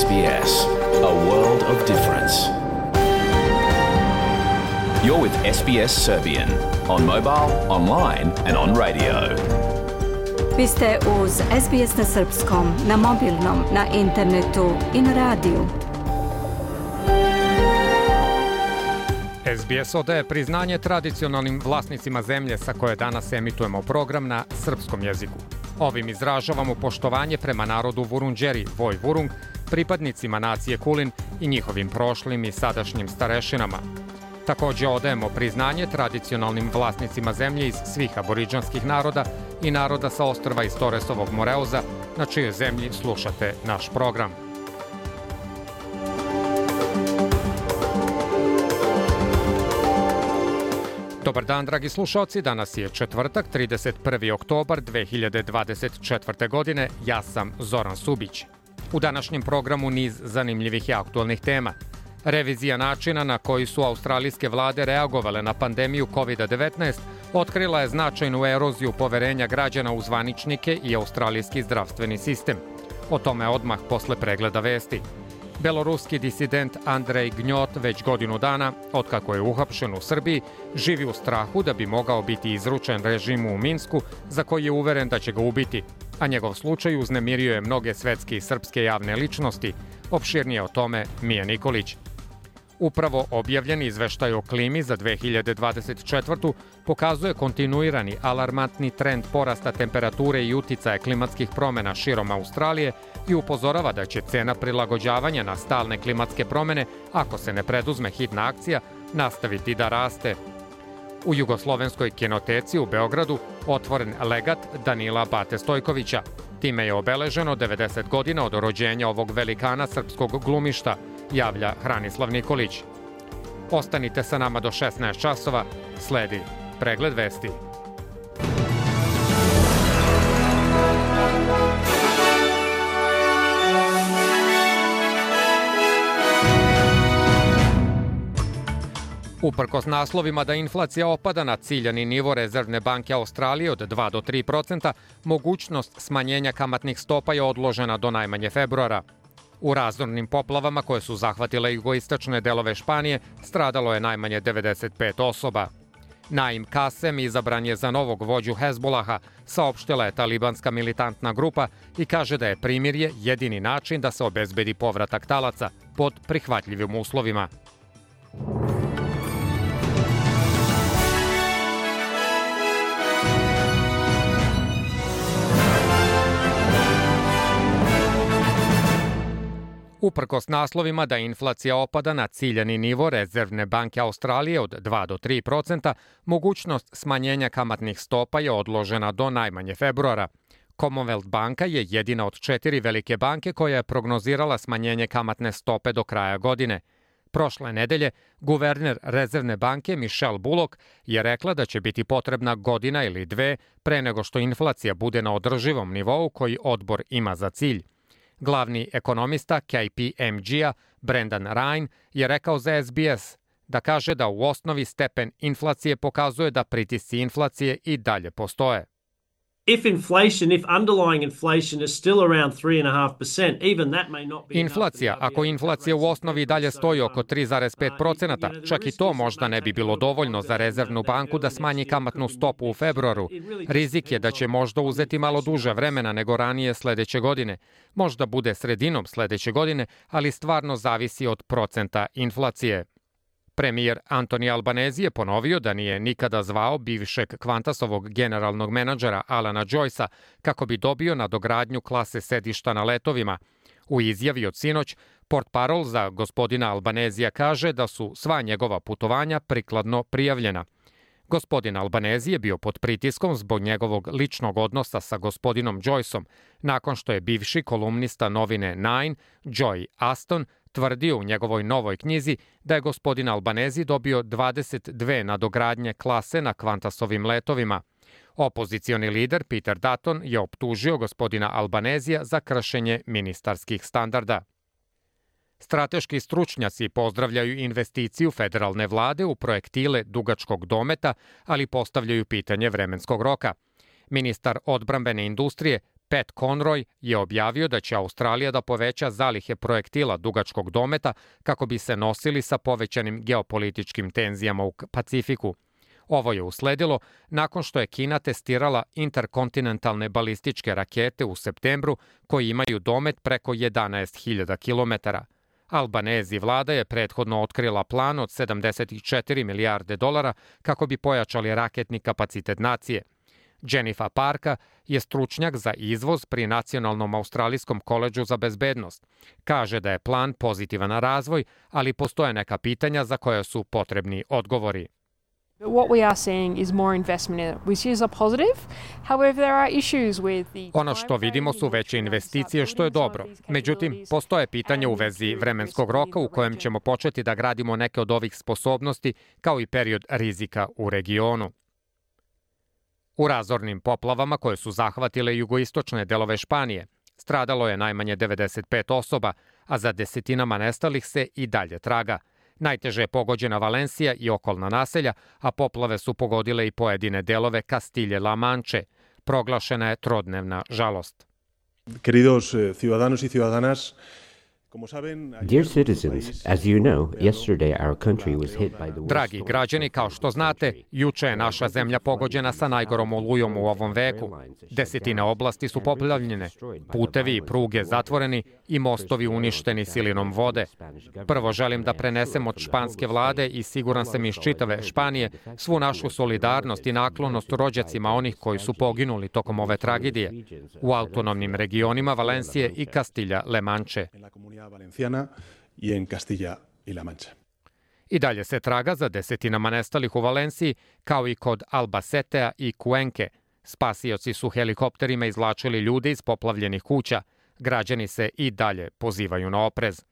SBS, a world of difference. You're with SBS Serbian on mobile, online and on radio. Vi ste uz SBS na srpskom, na mobilnom, na internetu i na radiju. SBS odaje priznanje tradicionalnim vlasnicima zemlje sa koje danas emitujemo program na srpskom jeziku. Ovim izražavamo poštovanje prema narodu Vurundjeri, Voj Vurung, pripadnicima nacije Kulin i njihovim prošlim i sadašnjim starešinama. Također odajemo priznanje tradicionalnim vlasnicima zemlje iz svih aboridžanskih naroda i naroda sa ostrva iz Toresovog Moreuza, na čijoj zemlji slušate naš program. Dobar dan, dragi slušalci, danas je četvrtak, 31. oktobar 2024. godine, ja sam Zoran Subić. U današnjem programu niz zanimljivih i aktualnih tema. Revizija načina na koji su australijske vlade reagovale na pandemiju COVID-19 otkrila je značajnu eroziju poverenja građana u zvaničnike i australijski zdravstveni sistem. O tome odmah posle pregleda vesti. Beloruski disident Andrej Gnjot već godinu dana, otkako je uhapšen u Srbiji, živi u strahu da bi mogao biti izručen režimu u Minsku, za koji je uveren da će ga ubiti, a njegov slučaj uznemirio je mnoge svetske i srpske javne ličnosti. Opširnije o tome Mija Nikolić. Upravo objavljeni izveštaj o klimi za 2024. pokazuje kontinuirani alarmantni trend porasta temperature i uticaja klimatskih promjena širom Australije i upozorava da će cena prilagođavanja na stalne klimatske promjene, ako se ne preduzme hitna akcija, nastaviti da raste. U Jugoslovenskoj kinoteci u Beogradu otvoren legat Danila Bate Stojkovića. Time je obeleženo 90 godina od rođenja ovog velikana srpskog glumišta, javlja Hranislav Nikolić. Ostanite sa nama do 16 časova, sledi pregled vesti. Uprkos naslovima da inflacija opada na ciljani nivo Rezervne banke Australije od 2 do 3%, mogućnost smanjenja kamatnih stopa je odložena do najmanje februara. U razornim poplavama koje su zahvatile jugoistočne delove Španije stradalo je najmanje 95 osoba. Naim Kasem izabran je za novog vođu Hezbolaha, saopštila je talibanska militantna grupa i kaže da je primirje jedini način da se obezbedi povratak talaca pod prihvatljivim uslovima. Uprkos naslovima da inflacija opada na ciljani nivo Rezervne banke Australije od 2 do 3%, mogućnost smanjenja kamatnih stopa je odložena do najmanje februara. Commonwealth banka je jedina od 4 velike banke koja je prognozirala smanjenje kamatne stope do kraja godine. Prošle nedelje, guverner Rezervne banke Michelle Bullock je rekla da će biti potrebna godina ili dve pre nego što inflacija bude na održivom nivou koji odbor ima za cilj. Glavni ekonomista KPMG-a Brendan Ryan je rekao za SBS da kaže da u osnovi stepen inflacije pokazuje da pritisci inflacije i dalje postoje. Inflacija, ako inflacija u osnovi dalje stoji oko 3,5%, čak i to možda ne bi bilo dovoljno za Rezervnu banku da smanji kamatnu stopu u februaru. Rizik je da će možda uzeti malo duže vremena nego ranije sledeće godine. Možda bude sredinom sledeće godine, ali stvarno zavisi od procenta inflacije. Premijer Anthony Albanese je ponovio da nije nikada zvao bivšeg Qantasovog generalnog menadžera Alana Joycea kako bi dobio nadogradnju klase sedišta na letovima. U izjavi od sinoć, portparol za gospodina Albanesija kaže da su sva njegova putovanja prikladno prijavljena. Gospodin Albanese je bio pod pritiskom zbog njegovog ličnog odnosa sa gospodinom Joyceom, nakon što je bivši kolumnista novine Nine, Joy Aston, tvrdio u njegovoj novoj knjizi da je gospodin Albanese dobio 22 nadogradnje klase na Qantasovim letovima. Opozicioni lider Peter Dutton je optužio gospodina Albanesija za kršenje ministarskih standarda. Strateški stručnjaci pozdravljaju investiciju federalne vlade u projektile dugačkog dometa, ali postavljaju pitanje vremenskog roka. Ministar odbrambene industrije Pat Conroy je objavio da će Australija da poveća zalihe projektila dugačkog dometa kako bi se nosili sa povećanim geopolitičkim tenzijama u Pacifiku. Ovo je usledilo nakon što je Kina testirala interkontinentalne balističke rakete u septembru koji imaju domet preko 11.000 kilometara. Albanezi vlada je prethodno otkrila plan od 74 milijarde dolara kako bi pojačali raketni kapacitet nacije. Jennifer Parka je stručnjak za izvoz pri Nacionalnom australijskom koledžu za bezbednost. Kaže da je plan pozitivan razvoj, ali postoje neka pitanja za koja su potrebni odgovori. What we are seeing is more investment in it, which is a positive. However, there are issues with the... Ono što vidimo su veće investicije, što je dobro. Međutim, postoje pitanja u vezi vremenskog roka u kojem ćemo početi da gradimo neke od ovih sposobnosti, kao i period rizika u regionu. U razornim poplavama koje su zahvatile jugoistočne delove Španije, stradalo je najmanje 95 osoba, a za desetinama nestalih se i dalje traga. Najteže je pogođena Valencija i okolna naselja, a poplave su pogodile i pojedine delove Kastilje-La Manche. Proglašena je trodnevna žalost. Queridos ciudadanos y ciudadanas, Dear citizens, as you know, yesterday our country was hit by the worst Dragi građani, kao što znate, juče je naša zemlja pogođena sa najgorom olujom u ovom veku. Desetine oblasti su poplavljene, putevi i pruge zatvoreni i mostovi uništeni silinom vode. Prvo želim da prenesem od španske vlade i siguran sam iz čitave Španije svu našu solidarnost i naklonost rođacima onih koji su poginuli tokom ove tragedije u autonomnim regionima Valencije i Kastilja-La Manche. Valenciana y en Castilla y La Mancha. I dalje se traga za desetinama nestalih u Valenciji, kao i kod Albacetea i Cuenke. Spasioci su helikopterima izvlačili ljude iz poplavljenih kuća. Građani se i dalje pozivaju na oprez.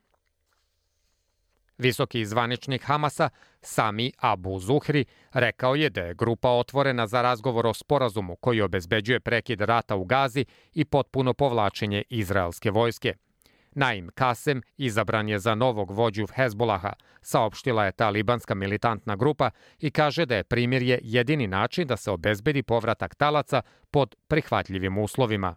Visoki zvaničnik Hamasa, Sami Abu Zuhri, rekao je da je grupa otvorena za razgovor o sporazumu koji obezbeđuje prekid rata u Gazi i potpuno povlačenje izraelske vojske. Naim Kasem izabran je za novog vođu Hezbolaha, saopštila je ta libanska militantna grupa i kaže da je primirje jedini način da se obezbedi povratak talaca pod prihvatljivim uslovima.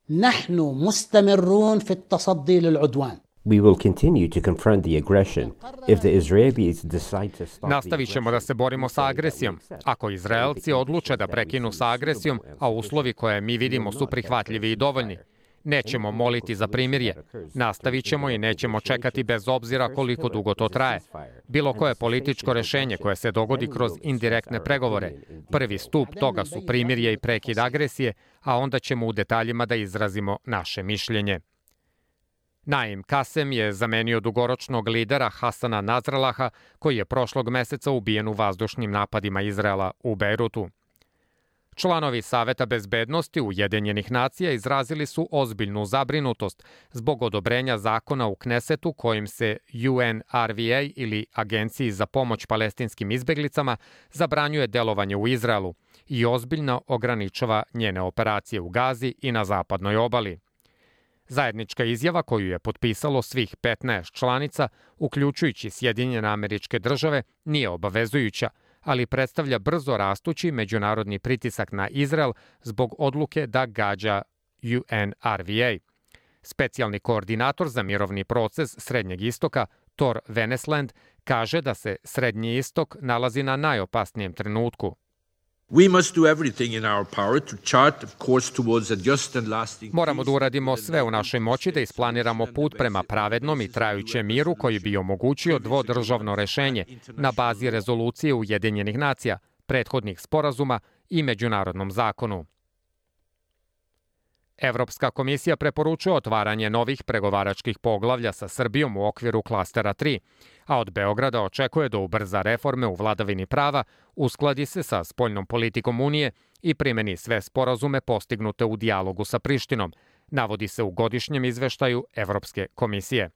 Nahnu mustamirrun fi at-tasaddi lil-udwan. We will continue to confront the aggression if the Israelis decide to stop. Nastavit ćemo da se borimo sa agresijom. Ako Izraelci odluče da prekinu sa agresijom, a uslovi koje mi vidimo su prihvatljivi i dovoljni, nećemo moliti za primirje. Nastavit ćemo i nećemo čekati bez obzira koliko dugo to traje. Bilo koje političko rešenje koje se dogodi kroz indirektne pregovore, prvi stup toga su primirje i prekid agresije, a onda ćemo u detaljima da izrazimo naše mišljenje. Naim Kasem je zamenio dugoročnog lidera Hasana Nasrallaha, koji je prošlog meseca ubijen u vazdušnim napadima Izraela u Bejrutu. Članovi Saveta bezbednosti Ujedinjenih nacija izrazili su ozbiljnu zabrinutost zbog odobrenja zakona u Knesetu kojim se UNRWA ili Agenciji za pomoć palestinskim izbeglicama zabranjuje delovanje u Izraelu i ozbiljno ograničava njene operacije u Gazi i na zapadnoj obali. Zajednička izjava koju je potpisalo svih 15 članica, uključujući Sjedinjene Američke Države, nije obavezujuća, ali predstavlja brzo rastući međunarodni pritisak na Izrael zbog odluke da gađa UNRWA. Specijalni koordinator za mirovni proces Srednjeg istoka, Thor Venesland, kaže da se Srednji istok nalazi na najopasnijem trenutku. Moramo da uradimo sve u našoj moći da isplaniramo put prema pravednom i trajućem miru koji bi omogućio dvodržavno rešenje na bazi rezolucije Ujedinjenih nacija, prethodnih sporazuma i međunarodnom zakonu. Evropska komisija preporučuje otvaranje novih pregovaračkih poglavlja sa Srbijom u okviru klastera 3, a od Beograda očekuje da ubrza reforme u vladavini prava, uskladi se sa spoljnom politikom Unije i primeni sve sporazume postignute u dijalogu sa Prištinom, navodi se u godišnjem izveštaju Evropske komisije.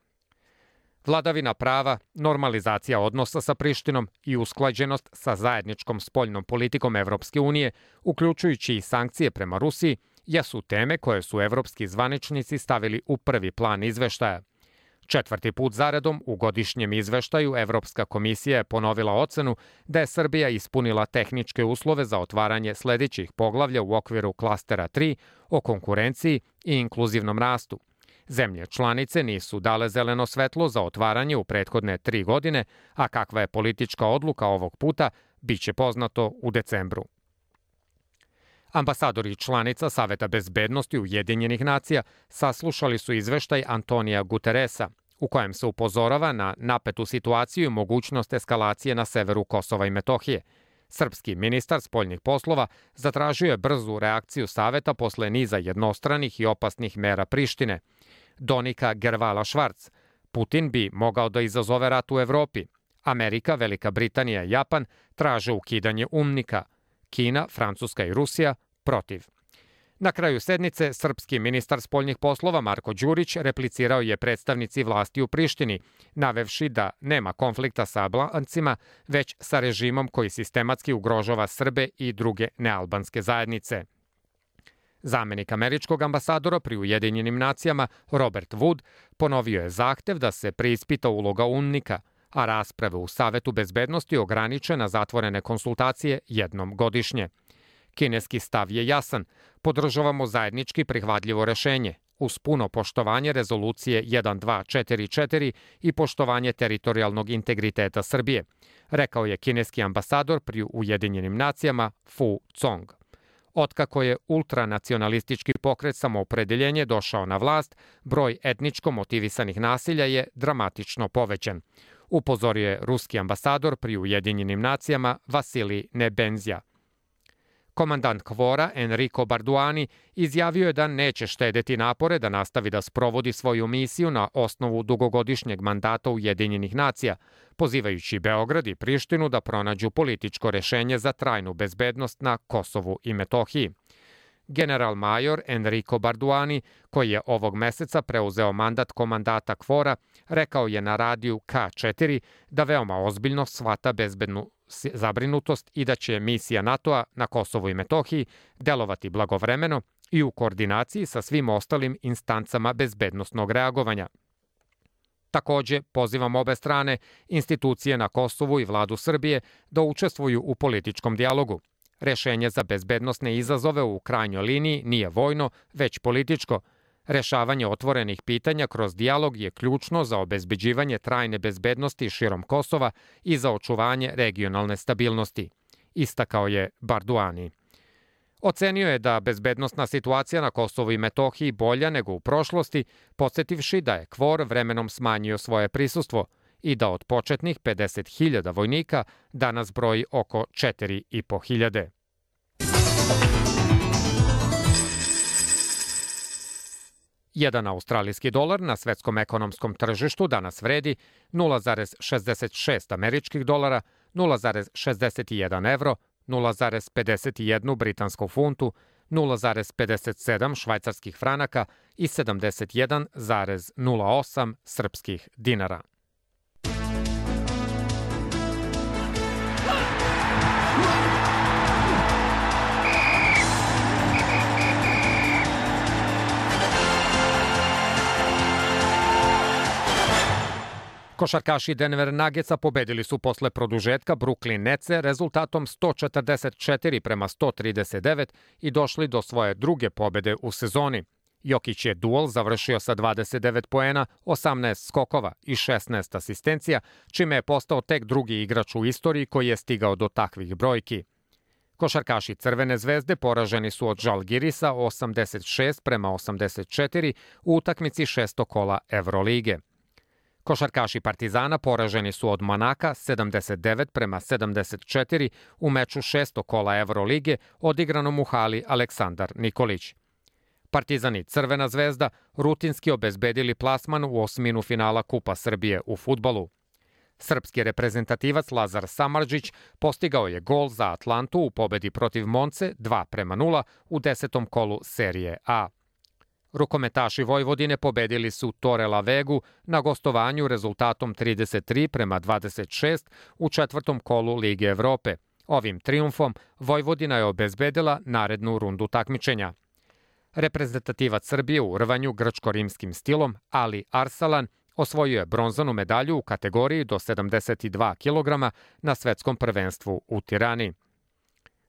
Vladavina prava, normalizacija odnosa sa Prištinom i usklađenost sa zajedničkom spoljnom politikom Evropske unije, uključujući i sankcije prema Rusiji, jesu teme koje su evropski zvaničnici stavili u prvi plan izveštaja. 4. put zaredom u godišnjem izveštaju Evropska komisija je ponovila ocenu da je Srbija ispunila tehničke uslove za otvaranje sledećih poglavlja u okviru klastera 3 o konkurenciji i inkluzivnom rastu. Zemlje članice nisu dale zeleno svetlo za otvaranje u prethodne 3 godine, a kakva je politička odluka ovog puta, biće poznato u decembru. Ambasadori članica Saveta bezbednosti Ujedinjenih nacija saslušali su izveštaj Antonija Guteresa, u kojem se upozorava na napetu situaciju i mogućnost eskalacije na severu Kosova i Metohije. Srpski ministar spoljnih poslova zatražio je brzu reakciju Saveta posle niza jednostranih i opasnih mera Prištine. Donika Gervala-Švarc: Putin bi mogao da izazove rat u Evropi. Amerika, Velika Britanija i Japan traže ukidanje UNMIK-a. Kina, Francuska i Rusija protiv. Na kraju sednice, srpski ministar spoljnih poslova Marko Đurić replicirao je predstavnici vlasti u Prištini, navevši da nema konflikta sa Albancima, već sa režimom koji sistematski ugrožava Srbe i druge nealbanske zajednice. Zamenik američkog ambasadora pri Ujedinjenim nacijama Robert Wood ponovio je zahtev da se preispita uloga UNMIK-a, a rasprave u Savetu bezbednosti ograniče na zatvorene konsultacije jednom godišnje. Kineski stav je jasan: podržavamo zajednički prihvatljivo rešenje, uz puno poštovanje rezolucije 1244 i poštovanje teritorijalnog integriteta Srbije, rekao je kineski ambasador pri Ujedinjenim nacijama Fu Cong. Otkako je ultranacionalistički pokret Samoopredeljenje došao na vlast, broj etničko motivisanih nasilja je dramatično povećan, upozorio je ruski ambasador pri Ujedinjenim nacijama Vasilij Nebenzija. Komandant KFOR-a Enrico Barduani izjavio je da neće štedeti napore da nastavi da sprovodi svoju misiju na osnovu dugogodišnjeg mandata Ujedinjenih nacija, pozivajući Beograd i Prištinu da pronađu političko rešenje za trajnu bezbednost na Kosovu i Metohiji. General major Enrico Barduani, koji je ovog meseca preuzeo mandat komandata KFOR-a, rekao je na radiju K4 da veoma ozbiljno shvata bezbednu zabrinutost i da će misija NATO-a na Kosovu i Metohiji delovati blagovremeno i u koordinaciji sa svim ostalim instancama bezbednosnog reagovanja. Takođe, pozivam obe strane, institucije na Kosovu i vladu Srbije da učestvuju u političkom dijalogu. Rešenje za bezbednosne izazove u krajnjoj liniji nije vojno, već političko. Rešavanje otvorenih pitanja kroz dijalog je ključno za obezbeđivanje trajne bezbednosti širom Kosova i za očuvanje regionalne stabilnosti, istakao je Barduani. Ocenio je da bezbednosna situacija na Kosovu i Metohiji bolja nego u prošlosti, podsjetivši da je KFOR vremenom smanjio svoje prisustvo i da od početnih 50.000 vojnika danas broji oko 4.500. Jedan australijski dolar na svetskom ekonomskom tržištu danas vredi 0,66 američkih dolara, 0,61 evro, 0,51 britansku funtu, 0,57 švajcarskih franaka i 71,08 srpskih dinara. Košarkaši Denver Nuggetsa pobedili su posle produžetka Brooklyn Netse rezultatom 144-139 i došli do svoje druge pobede u sezoni. Jokić je duel završio sa 29 poena, 18 skokova i 16 asistencija, čime je postao tek drugi igrač u istoriji koji je stigao do takvih brojki. Košarkaši Crvene zvezde poraženi su od Žalgirisa 86-84 u utakmici 6. kola Evrolige. Košarkaši Partizana poraženi su od Manaka 79-74 u meču 6. kola Evrolige odigranom u hali Aleksandar Nikolić. Partizan i Crvena zvezda rutinski obezbedili plasman u osminu finala Kupa Srbije u fudbalu. Srpski reprezentativac Lazar Samardžić postigao je gol za Atlantu u pobedi protiv Monce 2-0 u 10. kolu serije A. Rukometaši Vojvodine pobedili su Torela Vegu na gostovanju rezultatom 33-26 u 4. kolu Lige Evrope. Ovim trijumfom Vojvodina je obezbedila narednu rundu takmičenja. Reprezentativac Srbije u rvanju grčko-rimskim stilom Ali Arsalan Osvojio je bronzanu medalju u kategoriji do 72 kg na svetskom prvenstvu u Tirani.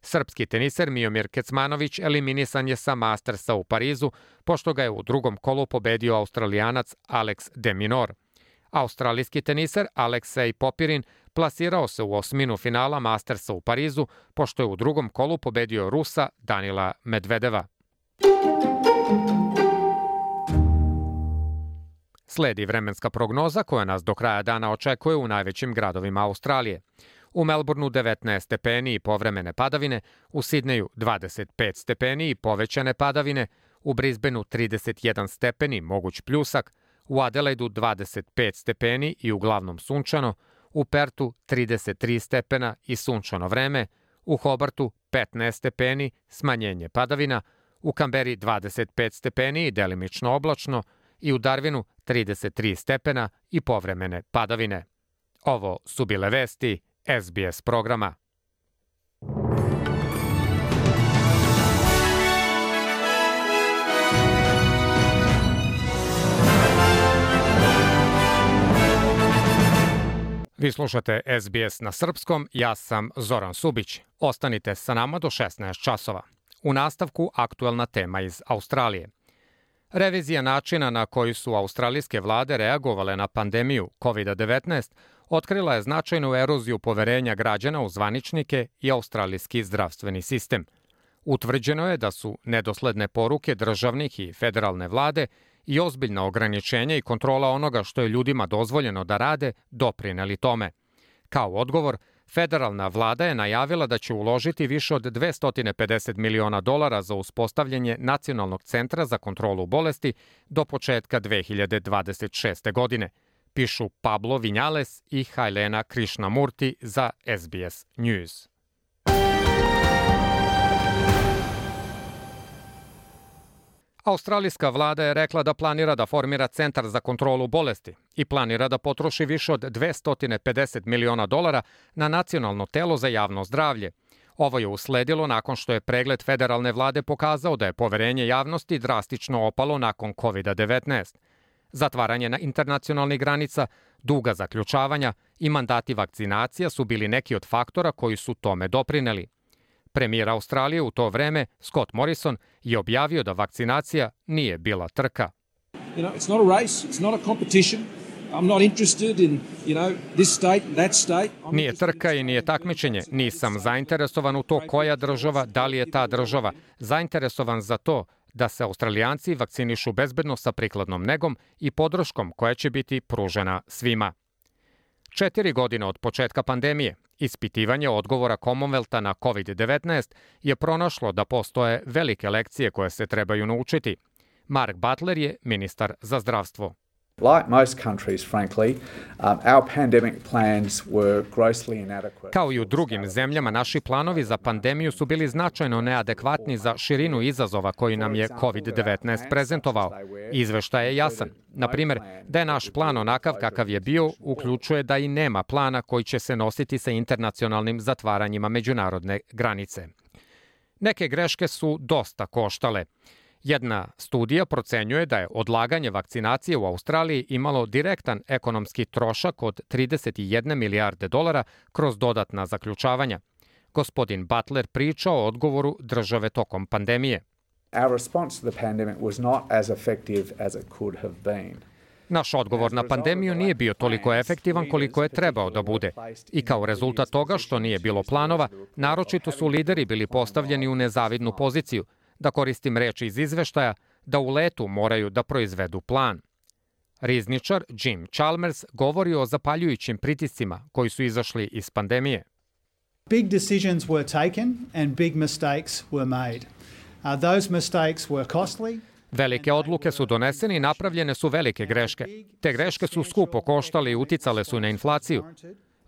Srpski teniser Miomir Kecmanović eliminisan je sa Mastersa u Parizu, pošto ga je u drugom kolu pobedio Australijanac Alex de Minaur. Australijski teniser Aleksej Popirin plasirao se u osminu finala Mastersa u Parizu, pošto je u drugom kolu pobedio Rusa Danila Medvedeva. Sledi vremenska prognoza koja nas do kraja dana očekuje u najvećim gradovima Australije. U Melbourneu 19 stepeni i povremene padavine, u Sidneju 25 stepeni i povećane padavine, u Brisbaneu 31 stepeni, moguć pljusak, u Adelaidu 25 stepeni i uglavnom sunčano, u Pertu 33 stepena i sunčano vreme, u Hobartu 15 stepeni, smanjenje padavina, u Kamberi 25 stepeni i delimično oblačno i u Darwinu 33 stepena i povremene padavine. Ovo su bile vesti SBS programa. Vi slušate SBS na srpskom, ja sam Zoran Subić. Ostanite sa nama do 16 časova. U nastavku aktuelna tema iz Australije. Revizija načina na koji su australijske vlade reagovale na pandemiju COVID-19 otkrila je značajnu eroziju poverenja građana u zvaničnike i australijski zdravstveni sistem. Utvrđeno je da su nedosledne poruke državnih i federalne vlade i ozbiljna ograničenja i kontrola onoga što je ljudima dozvoljeno da rade doprineli tome. Kao odgovor, federalna vlada je najavila da će uložiti više od $250 miliona za uspostavljanje Nacionalnog centra za kontrolu bolesti do početka 2026. godine, pišu Pablo Vinales i Hailena Krishnamurti za SBS News. Australijska vlada je rekla da planira da formira centar za kontrolu bolesti i planira da potroši više od $250 miliona na nacionalno telo za javno zdravlje. Ovo je usledilo nakon što je pregled federalne vlade pokazao da je poverenje javnosti drastično opalo nakon COVID-19. Zatvaranje na internacionalnih granica, duga zaključavanja i mandati vakcinacija su bili neki od faktora koji su tome doprineli. Premijer Australije u to vreme, Scott Morrison, je objavio da vakcinacija nije bila trka. It's not a race, it's not a competition. I'm not interested in, this state, that state. Nije trka i nije takmičenje. Nisam zainteresovan u to koja država, da li je ta država. Zainteresovan za to da se Australijanci vakcinišu bezbedno sa prikladnom negom i podrškom koja će biti pružena svima. 4 godine od početka pandemije, ispitivanje odgovora Commonwealtha na COVID-19 je pronašlo da postoje velike lekcije koje se trebaju naučiti. Mark Butler je ministar za zdravstvo. Like most countries, frankly, our pandemic plans were grossly inadequate. Kao i u drugim zemljama, naši planovi za pandemiju su bili značajno neadekvatni za širinu izazova koji nam je COVID-19 prezentovao. Izveštaj je jasan. Na primjer, da je naš plan onakav kakav je bio, uključuje da i nema plana koji će se nositi sa internacionalnim zatvaranjima međunarodne granice. Neke greške su dosta koštale. Jedna studija procenjuje da je odlaganje vakcinacije u Australiji imalo direktan ekonomski trošak od $31 milijarde kroz dodatna zaključavanja. Gospodin Butler priča o odgovoru države tokom pandemije. Our response to the pandemic was not as effective as it could have been. Naš odgovor na pandemiju nije bio toliko efektivan koliko je trebao da bude. I kao rezultat toga što nije bilo planova, naročito su lideri bili postavljeni u nezavidnu poziciju, da koristim reči iz izveštaja, da u letu moraju da proizvedu plan. Rizničar Jim Chalmers govori o zapaljujućim pritiscima koji su izašli iz pandemije. Big decisions were taken and big mistakes were made. Those mistakes were costly. Velike odluke su donesene i napravljene su velike greške. Te greške su skupo koštale i uticale su na inflaciju.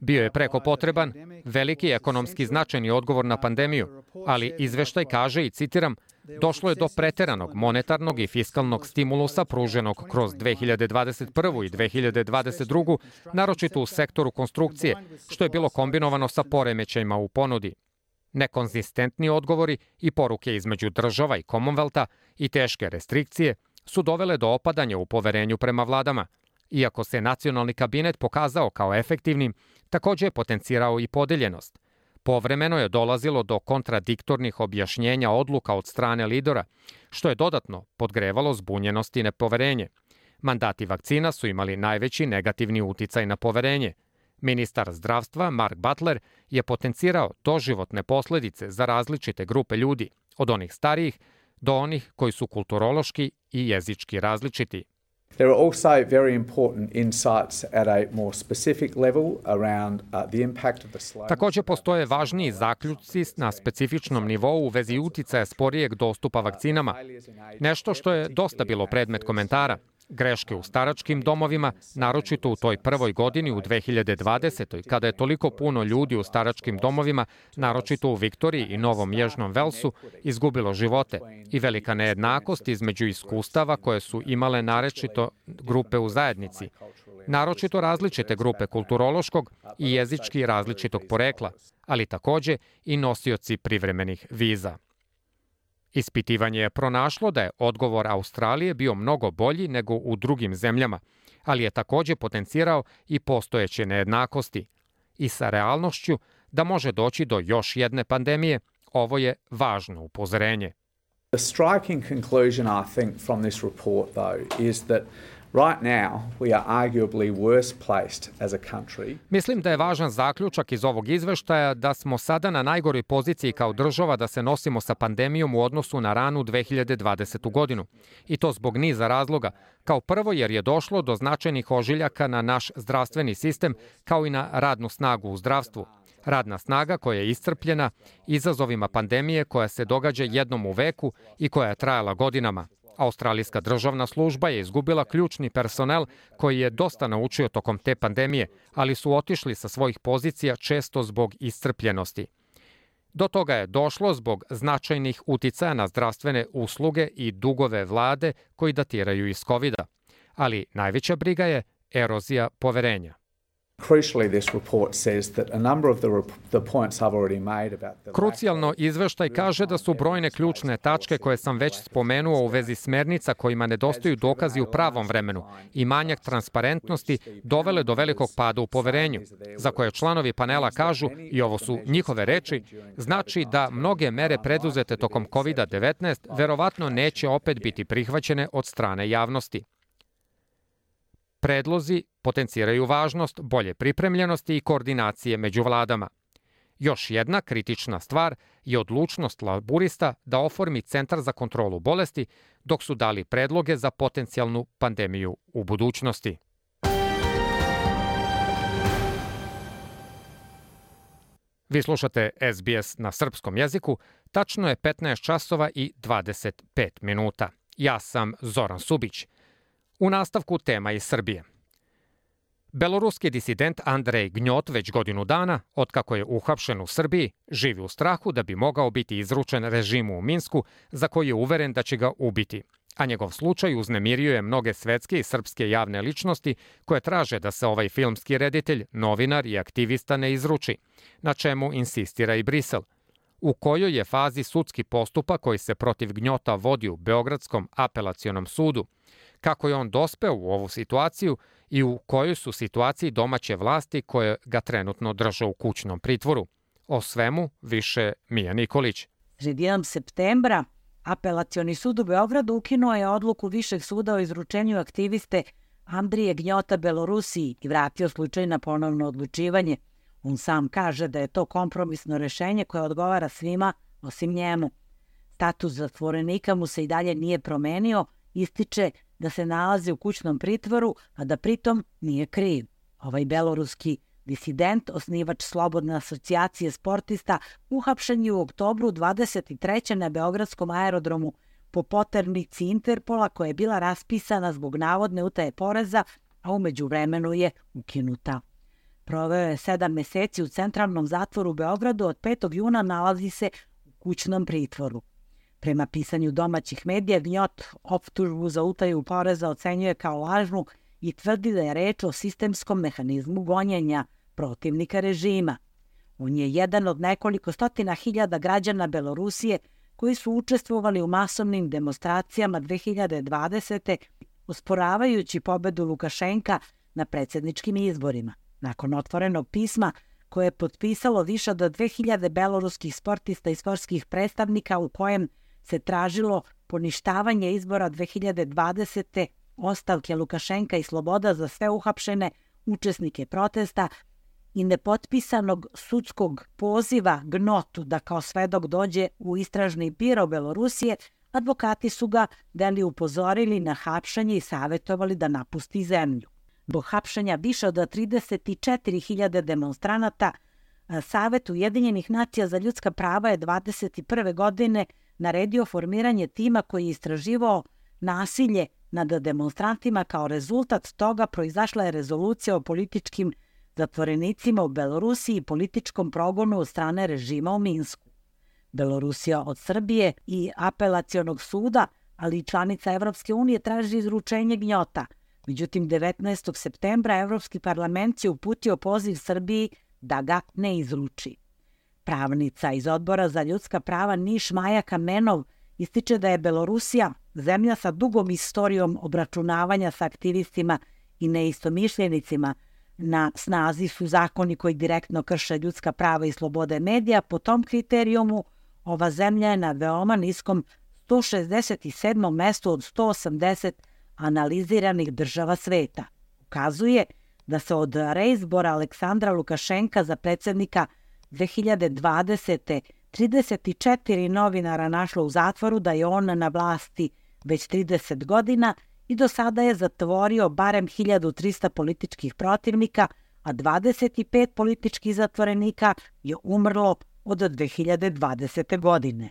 Bio je preko potreban, veliki ekonomski značajni odgovor na pandemiju, ali izveštaj kaže, i citiram, došlo je do preteranog monetarnog i fiskalnog stimulusa pruženog kroz 2021. i 2022. naročito u sektoru konstrukcije, što je bilo kombinovano sa poremećajima u ponudi. Nekonzistentni odgovori i poruke između država i Commonwealtha i teške restrikcije su dovele do opadanja u poverenju prema vladama. Iako se nacionalni kabinet pokazao kao efektivnim, također je potencirao i podeljenost. Povremeno je dolazilo do kontradiktornih objašnjenja odluka od strane lidera, što je dodatno podgrevalo zbunjenost i nepoverenje. Mandati vakcina su imali najveći negativni uticaj na poverenje. Ministar zdravstva Mark Butler je potencirao doživotne posljedice za različite grupe ljudi, od onih starijih do onih koji su kulturološki i jezički različiti. There are also very important insights at a more specific level around the impact of the slow. Također postoje važniji zaključci na specifičnom nivou u vezi uticaja sporijeg dostupa vakcinama. Nešto što je dosta bilo predmet komentara. Greške u staračkim domovima, naročito u toj prvoj godini u 2020. kada je toliko puno ljudi u staračkim domovima, naročito u Viktoriji i Novom Južnom Velsu, izgubilo živote i velika nejednakost između iskustava koje su imale naročito grupe u zajednici, naročito različite grupe kulturološkog i jezički različitog porekla, ali također i nosioci privremenih viza. Ispitivanje je pronašlo da je odgovor Australije bio mnogo bolji nego u drugim zemljama, ali je također potencirao i postojeće nejednakosti. I sa realnošću da može doći do još jedne pandemije, ovo je važno upozorenje. The striking conclusion, I think, from this report, though, is that right now we are arguably worse placed as a country. Mislim da je važan zaključak iz ovog izveštaja da smo sada na najgoroj poziciji kao država da se nosimo sa pandemijom u odnosu na ranu 2020. godinu. I to zbog niza razloga. Kao prvo jer je došlo do značajnih ožiljaka na naš zdravstveni sistem kao i na radnu snagu u zdravstvu. Radna snaga koja je iscrpljena izazovima pandemije koja se događa jednom u veku i koja je trajala godinama. Australijska državna služba je izgubila ključni personel koji je dosta naučio tokom te pandemije, ali su otišli sa svojih pozicija često zbog iscrpljenosti. Do toga je došlo zbog značajnih uticaja na zdravstvene usluge i dugove vlade koji datiraju iz COVID-a. Ali najveća briga je erozija poverenja. Crucially, this report says that a number of the points I've already made about the... Krucijalno izveštaj kaže da su brojne ključne tačke koje sam već spomenuo u vezi smernica kojima nedostaju dokazi u pravom vremenu i manjak transparentnosti dovele do velikog pada u poverenju, za koje članovi panela kažu, i ovo su njihove reči, znači da mnoge mere preduzete tokom COVID-19 verovatno neće opet biti prihvaćene od strane javnosti. Predlozi potenciraju važnost bolje pripremljenosti i koordinacije među vladama. Još jedna kritična stvar je odlučnost laburista da oformi Centar za kontrolu bolesti, dok su dali predloge za potencijalnu pandemiju u budućnosti. Vi slušate SBS na srpskom jeziku, tačno je 15 časova i 25 minuta. Ja sam Zoran Subić. U nastavku tema iz Srbije. Beloruski disident Andrej Gnjot već godinu dana, otkako je uhapšen u Srbiji, živi u strahu da bi mogao biti izručen režimu u Minsku, za koji je uveren da će ga ubiti. A njegov slučaj uznemirio je mnoge svetske i srpske javne ličnosti koje traže da se ovaj filmski reditelj, novinar i aktivista ne izruči, na čemu insistira i Brisel. U kojoj je fazi sudski postupak koji se protiv Gnjota vodi u Beogradskom apelacionom sudu, kako je on dospeo u ovu situaciju i u kojoj su situaciji domaće vlasti koje ga trenutno drže u kućnom pritvoru. O svemu više Mija Nikolić. Sredinom septembra Apelacioni sud u Beogradu ukinuo je odluku Višeg suda o izručenju aktiviste Andrije Gnjota Belorusiji i vratio slučaj na ponovno odlučivanje. On sam kaže da je to kompromisno rešenje koje odgovara svima osim njemu. Status zatvorenika mu se i dalje nije promenio, ističe da se nalazi u kućnom pritvoru, a da pritom nije kriv. Ovaj beloruski disident, osnivač Slobodne asocijacije sportista, uhapšen je u oktobru 23. na Beogradskom aerodromu po poternici Interpola koja je bila raspisana zbog navodne utaje poreza, a u međuvremenu je ukinuta. Proveo je 7 meseci u centralnom zatvoru u Beogradu, od 5. juna nalazi se u kućnom pritvoru. Prema pisanju domaćih medija, Gnjot optužbu za utaju poreza ocenjuje kao lažnu i tvrdi da je reč o sistemskom mehanizmu gonjenja protivnika režima. On je jedan od nekoliko stotina hiljada građana Belorusije koji su učestvovali u masovnim demonstracijama 2020. osporavajući pobedu Lukašenka na predsjedničkim izborima. Nakon otvorenog pisma koje je potpisalo više od 2000 beloruskih sportista i sportskih predstavnika u kojem se tražilo poništavanje izbora 2020. ostavke Lukašenka i sloboda za sve uhapšene učesnike protesta i nepotpisanog sudskog poziva Gnotu da kao svedok dođe u istražni biro Belorusije, advokati su ga upozorili na hapšenje i savjetovali da napusti zemlju. Zbog hapšenja više od 34.000 demonstranata, Savet Ujedinjenih nacija za ljudska prava je 2021. godine naredio formiranje tima koji je istraživao nasilje nad demonstrantima. Kao rezultat toga proizašla je rezolucija o političkim zatvorenicima u Belorusiji i političkom progonu od strane režima u Minsku. Belorusija od Srbije i apelacionog suda, ali i članica Evropske unije, traži izručenje Gnjota. Međutim, 19. septembra Evropski parlament je uputio poziv Srbiji da ga ne izruči. Pravnica iz Odbora za ljudska prava Niš Maja Kamenov ističe da je Belorusija zemlja sa dugom istorijom obračunavanja sa aktivistima i neistomišljenicima. Na snazi su zakoni koji direktno krše ljudska prava i slobode medija. Po tom kriterijumu ova zemlja je na veoma niskom 167. mestu od 180 analiziranih država sveta. Ukazuje da se od reizbora Aleksandra Lukašenka za predsjednika 2020. 34 novinara našlo u zatvoru, da je on na vlasti već 30 godina i do sada je zatvorio barem 1300 političkih protivnika, a 25 političkih zatvorenika je umrlo od 2020. godine.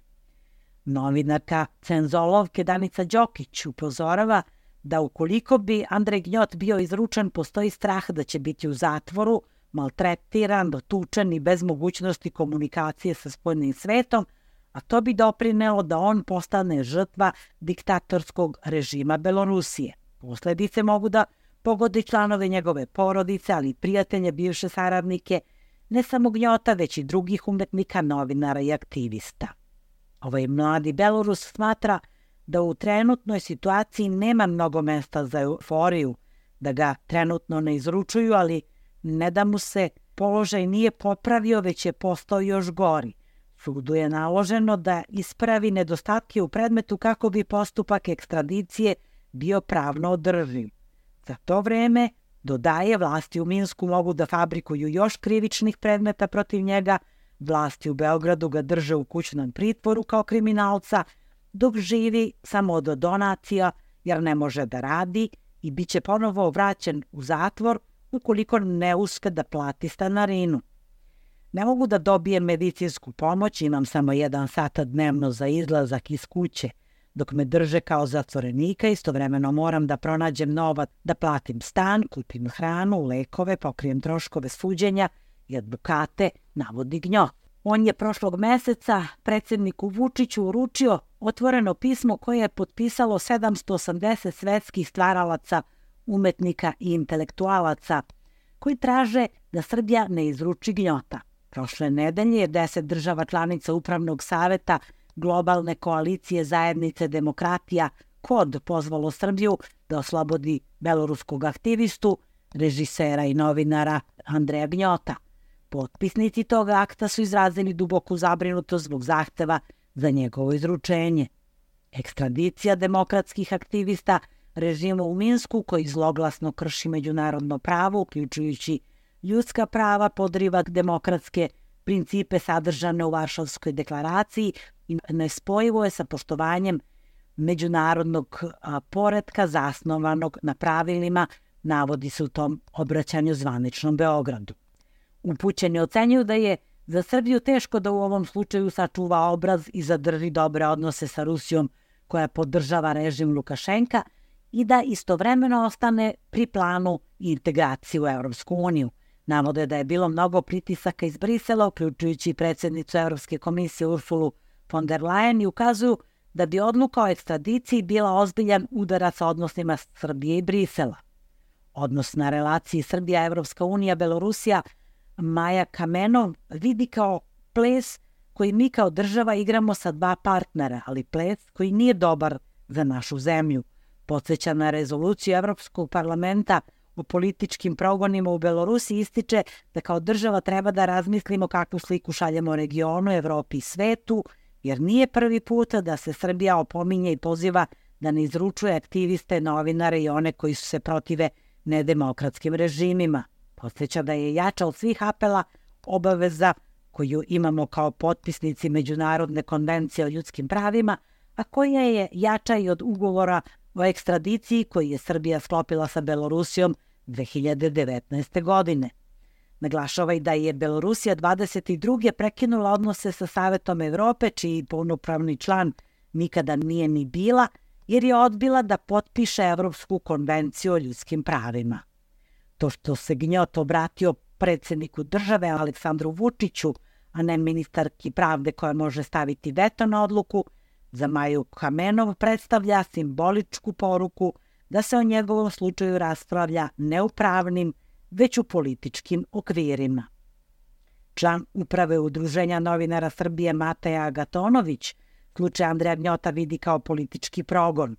Novinarka Cenzolovke Danica Đokić upozorava da ukoliko bi Andrej Gnjot bio izručen, postoji strah da će biti u zatvoru, maltretiran, dotučen i bez mogućnosti komunikacije sa spoljnim svetom, a to bi doprinelo da on postane žrtva diktatorskog režima Belorusije. Posledice mogu da pogode članove njegove porodice, ali i prijatelje, bivše saradnike, ne samo Gnjota, već i drugih umetnika, novinara i aktivista. Ovaj mladi Belorus smatra da u trenutnoj situaciji nema mnogo mesta za euforiju, da ga trenutno ne izručuju, ali ne da mu se položaj nije popravio, već je postao još gori. Sudu je naloženo da ispravi nedostatke u predmetu kako bi postupak ekstradicije bio pravno održiv. Za to vreme, dodaje, vlasti u Minsku mogu da fabrikuju još krivičnih predmeta protiv njega, vlasti u Beogradu ga drže u kućnom pritvoru kao kriminalca, dok živi samo od donacija jer ne može da radi i bit će ponovo vraćen u zatvor ukoliko ne uspe da plati stanarinu. Ne mogu da dobijem medicinsku pomoć, imam samo 1 sat dnevno za izlazak iz kuće. Dok me drže kao zatvorenika, istovremeno moram da pronađem novac, da platim stan, kupim hranu, lekove, pokrijem troškove suđenja i advokate, navodi Gnjot. On je prošlog meseca predsjedniku Vučiću uručio otvoreno pismo koje je potpisalo 780 svetskih stvaralaca, umetnika i intelektualaca, koji traže da Srbija ne izruči Gnjota. Prošle nedelje je 10 država članica Upravnog saveta Globalne koalicije zajednice demokratija KOD pozvalo Srbiju da oslobodi beloruskog aktivistu, režisera i novinara Andreja Gnjota. Potpisnici toga akta su izrazili duboku zabrinutost zbog zahteva za njegovo izručenje. Ekstradicija demokratskih aktivista režima u Minsku, koji zloglasno krši međunarodno pravo, uključujući ljudska prava, podriva demokratske principe sadržane u Varšavskoj deklaraciji i nespojivo je sa poštovanjem međunarodnog poretka zasnovanog na pravilima, navodi se u tom obraćanju zvaničnom Beogradu. Upućeni ocenjuju da je za Srbiju teško da u ovom slučaju sačuva obraz i zadrži dobre odnose sa Rusijom koja podržava režim Lukašenka i da istovremeno ostane pri planu integracije u Evropsku uniju. Navode da je bilo mnogo pritisaka iz Brisela, uključujući predsjednicu Evropske komisije Ursulu von der Leyen, i ukazuju da bi odluka o ekstradiciji bila ozbiljan udarac sa odnosima Srbije i Brisela. Odnos na relaciji Srbija-Evropska unija, Belorusija, Maja Kamenov vidi kao ples koji mi kao država igramo sa 2 partnera, ali ples koji nije dobar za našu zemlju. Podsjeća na rezoluciju Evropskog parlamenta o političkim progonima u Belorusiji, ističe da kao država treba da razmislimo kakvu sliku šaljemo regionu, Evropi i svetu, jer nije prvi put da se Srbija opominje i poziva da ne izručuje aktiviste, novinare i one koji su se protive nedemokratskim režimima. Podsjeća da je jača od svih apela obaveza koju imamo kao potpisnici Međunarodne konvencije o ljudskim pravima, a koja je jača i od ugovora o ekstradiciji koji je Srbija sklopila sa Belorusijom 2019. godine. Naglašava i da je Belorusija 22. prekinula odnose sa Savetom Evrope, čiji punopravni član nikada nije ni bila, jer je odbila da potpiše Evropsku konvenciju o ljudskim pravima. To što se Gnjot obratio predsjedniku države Aleksandru Vučiću, a ne ministarki pravde koja može staviti veto na odluku, za Maju Kamenov predstavlja simboličku poruku da se o njegovom slučaju raspravlja ne u pravnim, već u političkim okvirima. Član uprave Udruženja novinara Srbije Mateja Agatonović slučaj Andreja Gnjota vidi kao politički progon.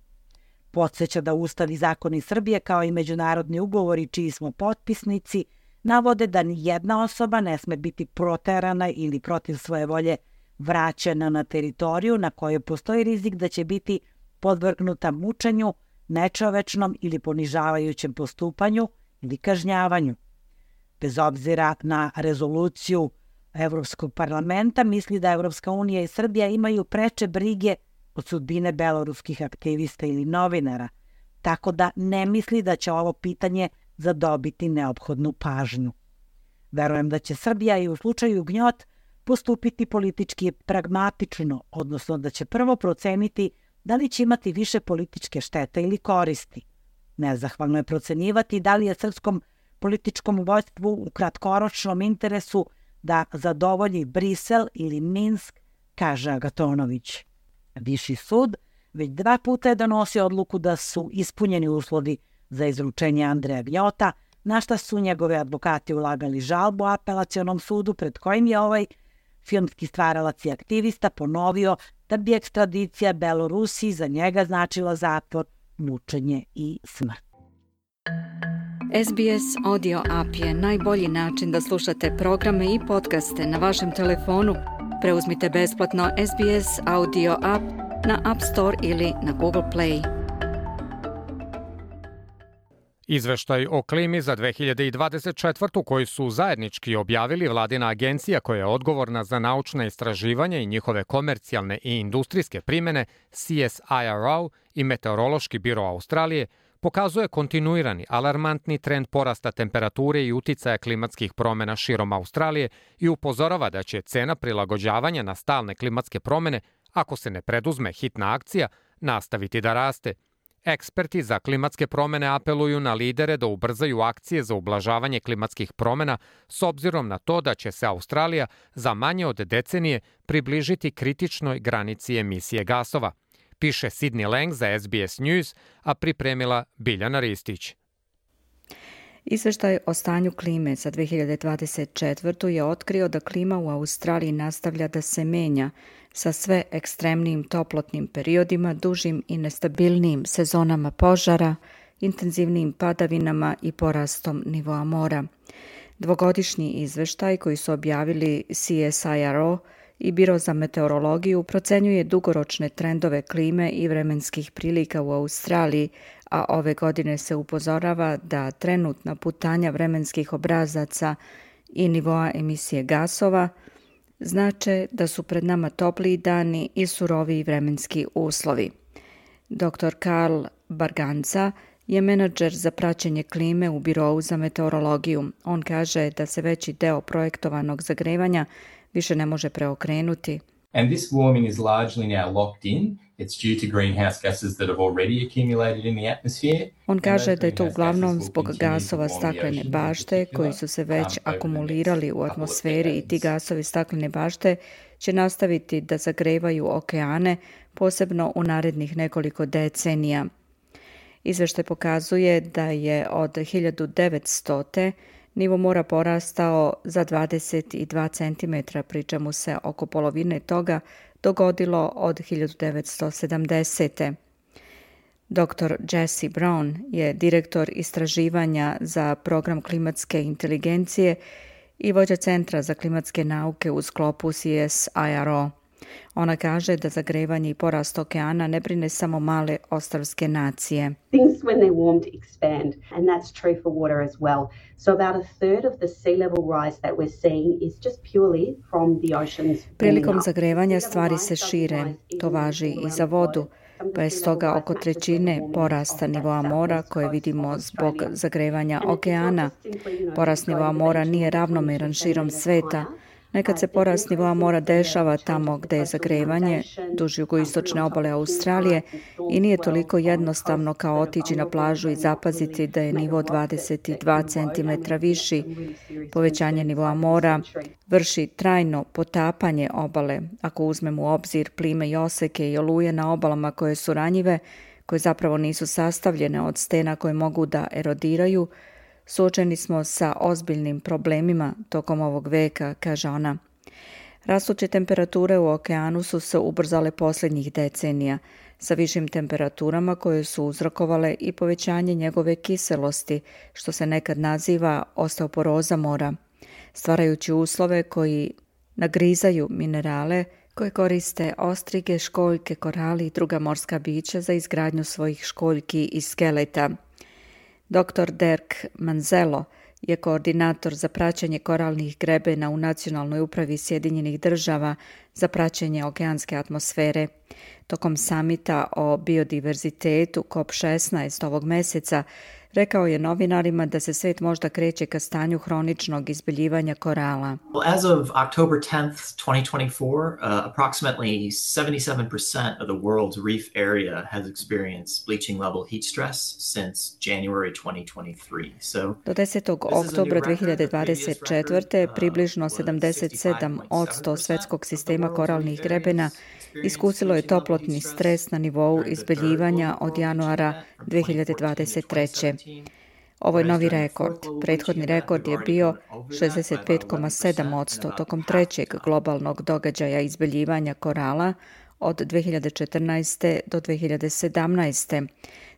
Podsjeća da Ustav i zakoni Srbije kao i međunarodni ugovori čiji smo potpisnici navode da ni jedna osoba ne sme biti proterana ili protiv svoje volje vraćena na teritoriju na kojoj postoji rizik da će biti podvrgnuta mučenju, nečovečnom ili ponižavajućem postupanju ili kažnjavanju. Bez obzira na rezoluciju Evropskog parlamenta, misli da Evropska unija i Srbija imaju preče brige od sudbine beloruskih aktivista ili novinara, tako da ne misli da će ovo pitanje zadobiti neophodnu pažnju. Verujem da će Srbija i u slučaju Gnjot postupiti politički pragmatično, odnosno da će prvo proceniti da li će imati više političke štete ili koristi. Nezahvalno je procenjivati da li je srpskom političkom vojstvu u kratkoročnom interesu da zadovolji Brisel ili Minsk, kaže Agatonović. Viši sud već 2 puta je donosio odluku da su ispunjeni uslovi za izručenje Andreja Gnjota, na šta su njegove advokati ulagali žalbu apelacionom sudu pred kojim je ovaj filmski stvaralac i aktivista ponovio da bi ekstradicija Belorusiji za njega značila zatvor, mučenje i smrt. SBS Audio App je najbolji način da slušate programe i podcaste na vašem telefonu. Preuzmite besplatno SBS Audio App na App Store ili na Google Play. Izveštaj o klimi za 2024. koji su zajednički objavili vladina agencija koja je odgovorna za naučna istraživanja i njihove komercijalne i industrijske primene, CSIRO i Meteorološki biro Australije, pokazuje kontinuirani, alarmantni trend porasta temperature i uticaja klimatskih promjena širom Australije i upozorava da će cena prilagođavanja na stalne klimatske promjene, ako se ne preduzme hitna akcija, nastaviti da raste. Eksperti za klimatske promjene apeluju na lidere da ubrzaju akcije za ublažavanje klimatskih promjena s obzirom na to da će se Australija za manje od decenije približiti kritičnoj granici emisije gasova, piše Sydney Lang za SBS News, a pripremila Biljana Ristić. Izveštaj o stanju klime za 2024. je otkrio da klima u Australiji nastavlja da se menja sa sve ekstremnijim toplotnim periodima, dužim i nestabilnijim sezonama požara, intenzivnijim padavinama i porastom nivoa mora. Dvogodišnji izveštaj koji su objavili CSIRO i Biro za meteorologiju procenjuje dugoročne trendove klime i vremenskih prilika u Australiji, a ove godine se upozorava da trenutna putanja vremenskih obrazaca i nivoa emisije gasova znače da su pred nama topliji dani i suroviji vremenski uslovi. Dr. Karl Barganca je menadžer za praćenje klime u Birou za meteorologiju. On kaže da se veći deo projektovanog zagrevanja više ne može preokrenuti. And this warming is largely now locked in. It's due to greenhouse gases that have already accumulated in the atmosphere. On kaže da je to uglavnom zbog gasova staklene bašte koji su se već akumulirali u atmosferi i ti gasovi staklene bašte će nastaviti da zagrevaju okeane, posebno u narednih nekoliko decenija. Izveštaj pokazuje da je od 1900. nivo mora porastao za 22 cm, pri čemu se oko polovine toga dogodilo od 1970. Dr. Jesse Brown je direktor istraživanja za program klimatske inteligencije i vođa Centra za klimatske nauke u sklopu CSIRO. Ona kaže da zagrevanje i porast okeana ne brine samo male ostrvske nacije. Things when they're warmed expand, and that's true for water as well. So about a third of the sea level rise that we're seeing is just purely from the oceans. Prilikom zagrevanja stvari se šire, to važi i za vodu, pa je stoga oko trećine porasta nivoa mora koje vidimo zbog zagrevanja okeana. Porast nivoa mora nije ravnomeran širom sveta. Nekad se porast nivoa mora dešava tamo gde je zagrevanje, duž jugoistočne obale Australije, i nije toliko jednostavno kao otići na plažu i zapaziti da je nivo 22 cm viši. Povećanje nivoa mora vrši trajno potapanje obale, ako uzmemo u obzir plime i oseke i oluje na obalama koje su ranjive, koje zapravo nisu sastavljene od stena koje mogu da erodiraju. Suočeni smo sa ozbiljnim problemima tokom ovog veka, kaže ona. Rastuće temperature u okeanu su se ubrzale posljednjih decenija, sa višim temperaturama koje su uzrokovale i povećanje njegove kiselosti, što se nekad naziva osteoporoza mora, stvarajući uslove koji nagrizaju minerale koje koriste ostrige, školjke, korali i druga morska bića za izgradnju svojih školjki i skeleta. Dr. Dirk Manzello je koordinator za praćenje koralnih grebena u Nacionalnoj upravi Sjedinjenih država za praćenje okeanske atmosfere. Tokom samita o biodiverzitetu COP16 ovog meseca rekao je novinarima da se svet možda kreće ka stanju hroničnog izbeljivanja korala. As of October 10th, 2024, approximately 77% of the world's reef area has experienced bleaching level heat stress since January 2023. Do 10. oktobra 2024. približno 77% svetskog sistema koralnih grebena iskusilo je toplotni stres na nivou izbeljivanja od januara 2023. Ovo je novi rekord. Prethodni rekord je bio 65,7% tokom trećeg globalnog događaja izbeljivanja korala od 2014. do 2017.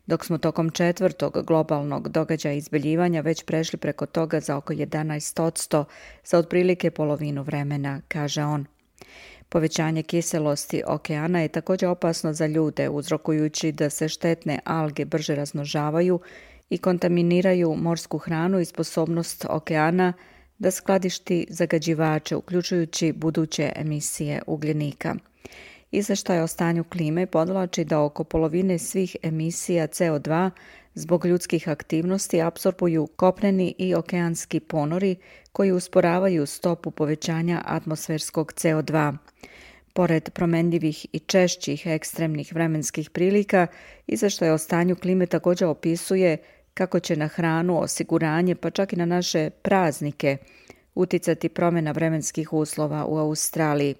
dok smo tokom četvrtog globalnog događaja izbeljivanja već prešli preko toga za oko 11% za otprilike polovinu vremena, kaže on. Povećanje kiselosti okeana je također opasno za ljude, uzrokujući da se štetne alge brže razmnožavaju i kontaminiraju morsku hranu i sposobnost okeana da skladišti zagađivače, uključujući buduće emisije ugljenika. Izveštaj o stanju klime podvlači da oko polovine svih emisija CO2 zbog ljudskih aktivnosti apsorbuju kopneni i okeanski ponori koji usporavaju stopu povećanja atmosferskog CO2. Pored promenljivih i češćih ekstremnih vremenskih prilika, izveštaj o stanju klime također opisuje kako će na hranu, osiguranje, pa čak i na naše praznike uticati promjena vremenskih uslova u Australiji.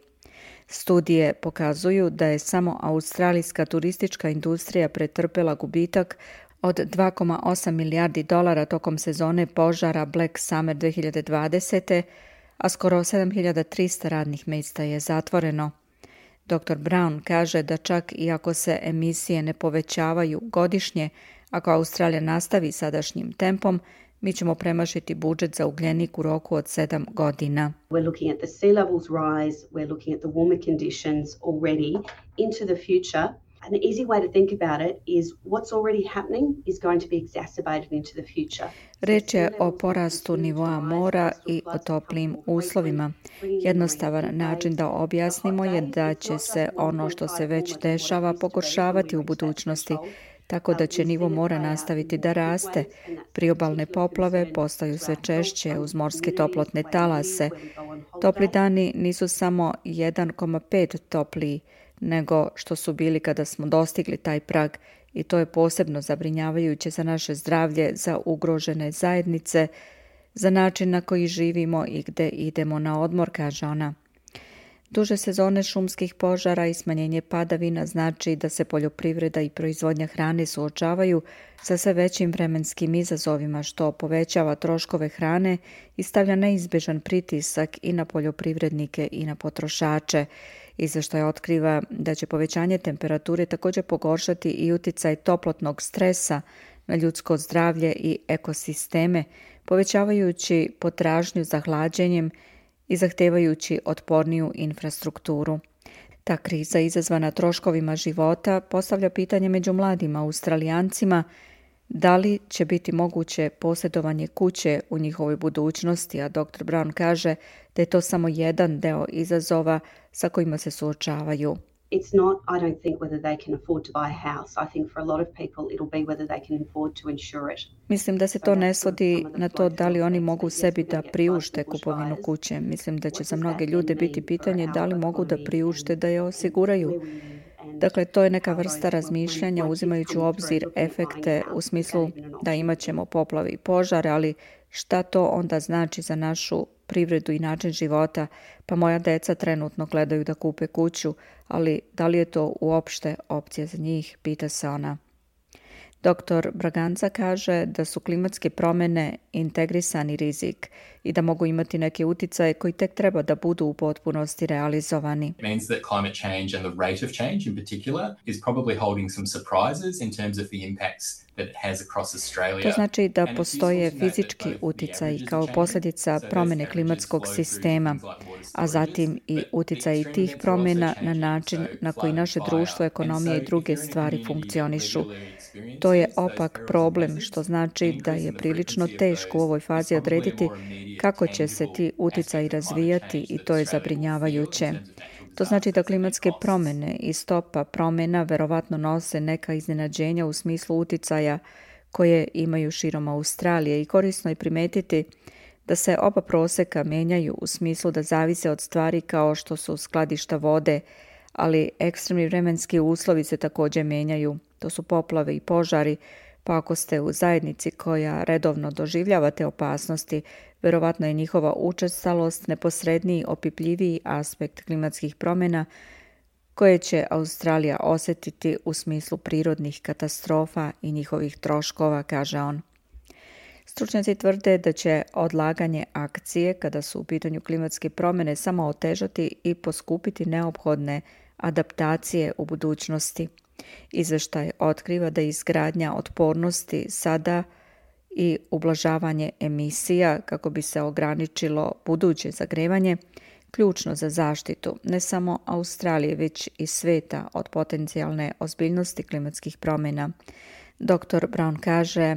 Studije pokazuju da je samo australijska turistička industrija pretrpela gubitak od 2,8 milijardi dolara tokom sezone požara Black Summer 2020. a skoro 7300 radnih mjesta je zatvoreno. Dr. Brown kaže da čak i ako se emisije ne povećavaju godišnje, ako Australija nastavi sadašnjim tempom, mi ćemo premašiti budžet za ugljenik u roku od 7 godina. We're looking at the sea levels rise, we're looking at the warmer conditions already into the future. An easy way to think about it is what's already happening is going to be exacerbated into the future. Reč je o porastu nivoa mora i o toplim uslovima. Jednostavan način da objasnimo je da će se ono što se već dešava pogoršavati u budućnosti, tako da će nivo mora nastaviti da raste. Priobalne poplave postaju sve češće uz morske toplotne talase. Topli dani nisu samo 1,5 topliji nego što su bili kada smo dostigli taj prag, i to je posebno zabrinjavajuće za naše zdravlje, za ugrožene zajednice, za način na koji živimo i gde idemo na odmor, kaže ona. Duže sezone šumskih požara i smanjenje padavina znači da se poljoprivreda i proizvodnja hrane suočavaju sa sve većim vremenskim izazovima, što povećava troškove hrane i stavlja neizbježan pritisak i na poljoprivrednike i na potrošače. Izveštaj otkriva da će povećanje temperature također pogoršati i uticaj toplotnog stresa na ljudsko zdravlje i ekosisteme, povećavajući potražnju za hlađenjem i zahtevajući otporniju infrastrukturu. Ta kriza izazvana troškovima života postavlja pitanje među mladim Australijancima da li će biti moguće posjedovanje kuće u njihovoj budućnosti, a dr. Brown kaže da je to samo jedan deo izazova sa kojima se suočavaju. It's not, I don't think, whether they can afford to buy a house. I think for a lot of people it'll be whether they can afford to insure it. Mislim da se to ne svodi na to da li oni mogu sebi da priušte kupovinu kuće. Mislim da će za mnoge ljude biti pitanje da li mogu da priušte da je osiguraju. Dakle, to je neka vrsta razmišljanja uzimajući u obzir efekte u smislu da imat ćemo poplave i požare, ali šta to onda znači za našu privredu i način života? Pa moja deca trenutno gledaju da kupe kuću, ali da li je to uopšte opcija za njih, pita se ona. Dr. Braganza kaže da su klimatske promjene integrisani rizik i da mogu imati neke uticaje koji tek treba da budu u potpunosti realizovani. It means that climate change and the rate of change in particular is probably holding some surprises in terms of the impacts that it has across Australia. To znači da postoje fizički uticaj kao posljedica promjene klimatskog sistema, a zatim i uticaj tih promjena na način na koji naše društvo, ekonomija i druge stvari funkcionišu. To je opak problem, što znači da je prilično teško u ovoj fazi odrediti kako će se ti uticaji razvijati i to je zabrinjavajuće. To znači da klimatske promjene i stopa promjena verovatno nose neka iznenađenja u smislu uticaja koje imaju širom Australije i korisno je primetiti da se oba proseka menjaju u smislu da zavise od stvari kao što su skladišta vode, ali ekstremni vremenski uslovi se također menjaju. To su poplave i požari, pa ako ste u zajednici koja redovno doživljava te opasnosti, verovatno je njihova učestalost neposredniji, opipljiviji aspekt klimatskih promjena koje će Australija osjetiti u smislu prirodnih katastrofa i njihovih troškova, kaže on. Stručnjaci tvrde da će odlaganje akcije kada su u pitanju klimatske promjene samo otežati i poskupiti neophodne adaptacije u budućnosti. Izveštaj otkriva da je izgradnja otpornosti sada i ublažavanje emisija kako bi se ograničilo buduće zagrevanje ključno za zaštitu ne samo Australije već i sveta od potencijalne ozbiljnosti klimatskih promjena. Dr. Brown kaže,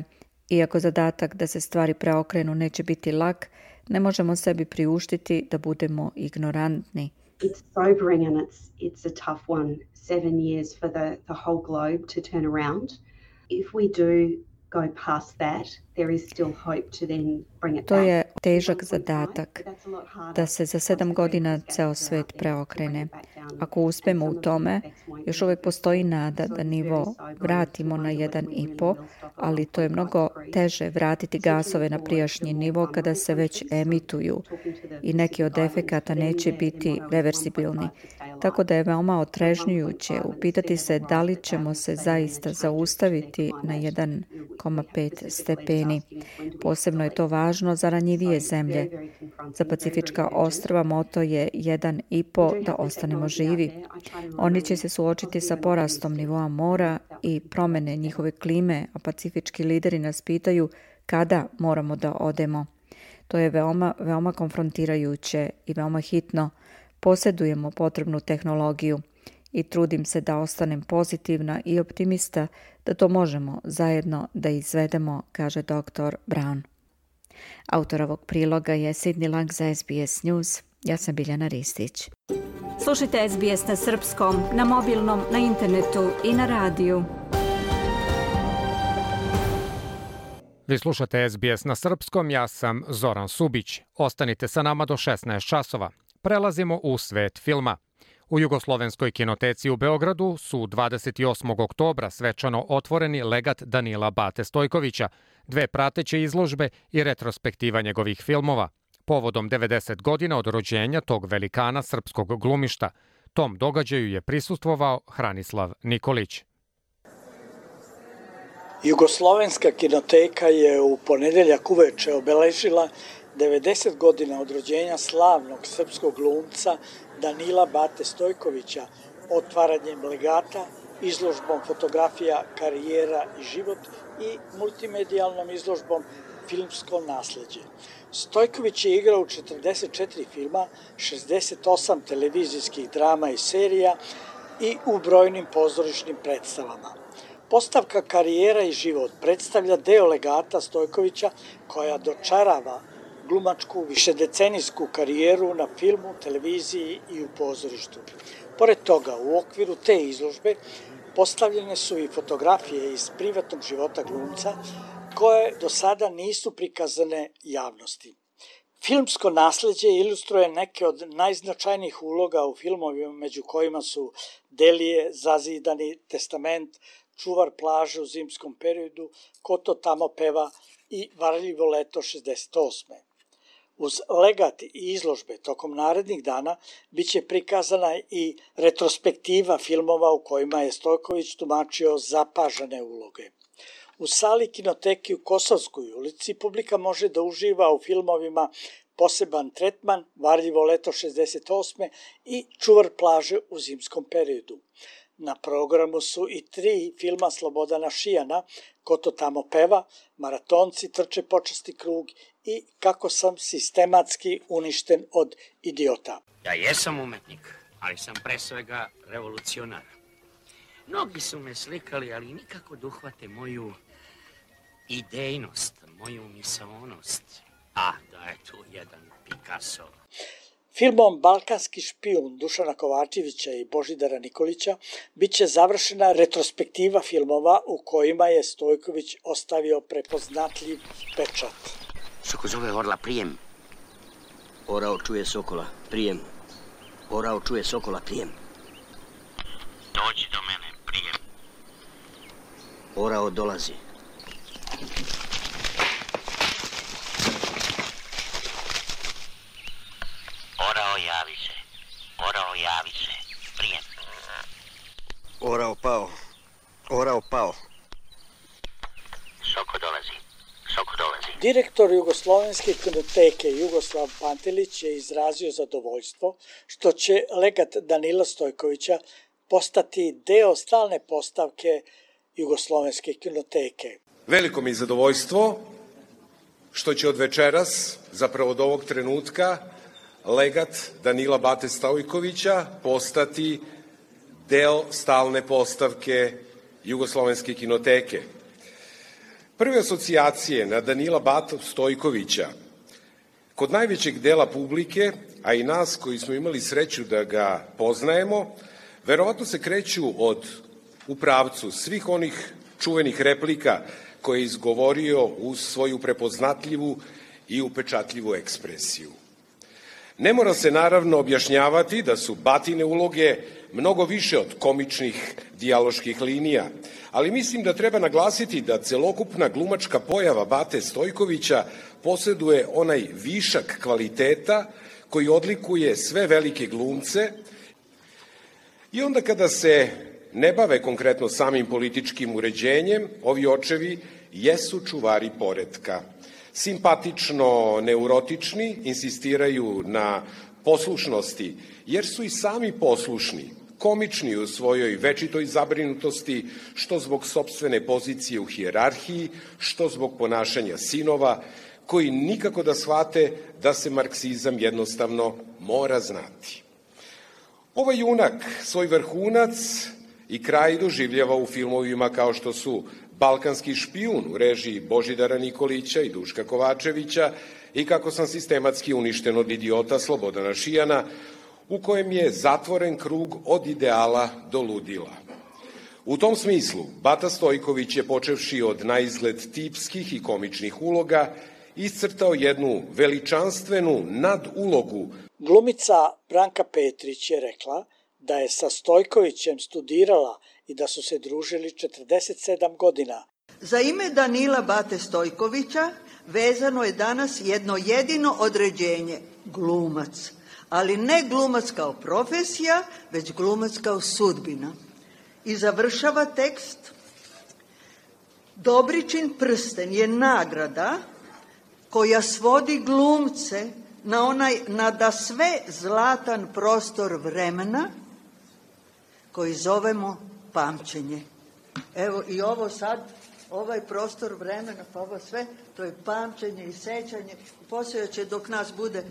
iako zadatak da se stvari preokrenu neće biti lak, ne možemo sebi priuštiti da budemo ignorantni. It's sobering and it's a tough one. 7 years for the whole globe to turn around. If we do go past that, there is still hope to then bring it back. To je težak zadatak, da se za 7 godina ceo svet preokrene. Ako uspemo u tome, još uvijek postoji nada da nivo vratimo na 1,5, ali to je mnogo teže vratiti gasove na prijašnji nivo kada se već emituju i neki od efekata neće biti reversibilni. Tako da je veoma otrežnjujuće upitati se da li ćemo se zaista zaustaviti na 1,5 stepeni. Posebno je to važno za ranjivije zemlje. Za Pacifička ostrva moto je 1,5 da ostanemo živi. Oni će se suočiti sa porastom nivoa mora i promjene njihove klime, a pacifički lideri nas pitaju kada moramo da odemo. To je veoma konfrontirajuće i veoma hitno. Posjedujemo potrebnu tehnologiju i trudim se da ostanem pozitivna i optimista da to možemo zajedno da izvedemo, kaže dr. Brown. Autor ovog priloga je Sidney Lang za SBS News. Ja sam Biljana Ristić. Slušajte SBS na srpskom, na mobilnom, na internetu i na radiju. Vi slušate SBS na srpskom, ja sam Zoran Subić. Ostanite sa nama do 16 časova. Prelazimo u svet filma. U Jugoslovenskoj kinoteci u Beogradu su 28. oktobra svečano otvoreni legat Danila Bate Stojkovića, 2 prateće izložbe i retrospektiva njegovih filmova. Povodom 90 godina od rođenja tog velikana srpskog glumišta, tom događaju je prisustvovao Hranislav Nikolić. Jugoslovenska kinoteka je u ponedeljak uveče obeležila 90 godina od rođenja slavnog srpskog glumca Danila Bate Stojkovića otvaranjem legata, izložbom fotografija Karijera i život i multimedijalnom izložbom Filmsko nasleđe. Stojković je igrao u 44 filma, 68 televizijskih drama i serija i u brojnim pozorišnim predstavama. Postavka Karijera i život predstavlja deo legata Stojkovića koja dočarava glumačku višedecenijsku karijeru na filmu, televiziji i u pozorištu. Pored toga, u okviru te izložbe postavljene su i fotografije iz privatnog života glumca koje do sada nisu prikazane javnosti. Filmsko nasleđe ilustruje neke od najznačajnijih uloga u filmovima među kojima su Delije, Zazidani, Testament, Čuvar plaže u zimskom periodu, Ko to tamo peva i Varljivo leto 68. Uz legat i izložbe tokom narednih dana biće prikazana i retrospektiva filmova u kojima je Stojković tumačio zapažene uloge. U sali kinoteke u Kosovskoj ulici publika može da uživa u filmovima Poseban tretman, Varljivo leto 68. i Čuvar plaže u zimskom periodu. Na programu su i 3 filma Slobodana Šijana, Ko to tamo peva, Maratonci trče počasti krug i Kako sam sistematski uništen od idiota. Ja jesam umetnik, ali sam pre svega revolucionar. Mnogi su me slikali, ali nikako da uhvate moju idejnost, moju misaonost. A, da je tu jedan Picasso. Filmom Balkanski špijun Dušana Kovačevića i Božidara Nikolića biće završena retrospektiva filmova u kojima je Stojković ostavio prepoznatljiv pečat. Soko zove orla, prijem. Orao čuje sokola, prijem. Orao čuje sokola, prijem. Dođi do mene, prijem. Orao dolazi. Orao javi se. Orao javi se. Prijem. Orao pao. Orao pao. Soko dolazi. Soko dolazi. Direktor Jugoslovenske kinoteke Jugoslav Pantelić je izrazio zadovoljstvo što će legat Danila Stojkovića postati deo stalne postavke Jugoslovenske kinoteke. Veliko mi je zadovoljstvo što će od večeras, zapravo od ovog trenutka, legat Danila Bate Stojkovića postati deo stalne postavke Jugoslovenske kinoteke. Prve asocijacije na Danila Batu Stojkovića kod najvećeg dela publike, a i nas koji smo imali sreću da ga poznajemo, verovatno se kreću u pravcu svih onih čuvenih replika koje je izgovorio uz svoju prepoznatljivu i upečatljivu ekspresiju. Ne mora se naravno objašnjavati da su Batine uloge mnogo više od komičnih dijaloških linija, ali mislim da treba naglasiti da celokupna glumačka pojava Bate Stojkovića posjeduje onaj višak kvaliteta koji odlikuje sve velike glumce i onda kada se ne bave konkretno samim političkim uređenjem, ovi očevi jesu čuvari poretka. Simpatično neurotični, insistiraju na poslušnosti, jer su i sami poslušni, komični u svojoj večitoj zabrinutosti, što zbog sopstvene pozicije u hijerarhiji, što zbog ponašanja sinova, koji nikako da shvate da se marksizam jednostavno mora znati. Ovaj junak svoj vrhunac i kraj doživljava u filmovima kao što su Balkanski špijun u režiji Božidara Nikolića i Duška Kovačevića i Kako sam sistematski uništen od idiota Slobodana Šijana, u kojem je zatvoren krug od ideala do ludila. U tom smislu, Bata Stojković je, počevši od naizgled tipskih i komičnih uloga, iscrtao jednu veličanstvenu nadulogu. Glumica Branka Petrić je rekla da je sa Stojkovićem studirala i da su se družili 47 godina. Za ime Danila Bate Stojkovića vezano je danas jedno jedino određenje, glumac. Ali ne glumac kao profesija, već glumac kao sudbina. I završava tekst: Dobričin prsten je nagrada koja svodi glumce na sve zlatan prostor vremena koji zovemo pamćenje. Evo i ovo sad, ovaj prostor vremena, pa ovo sve, to je pamćenje i sećanje. Poslije će dok nas bude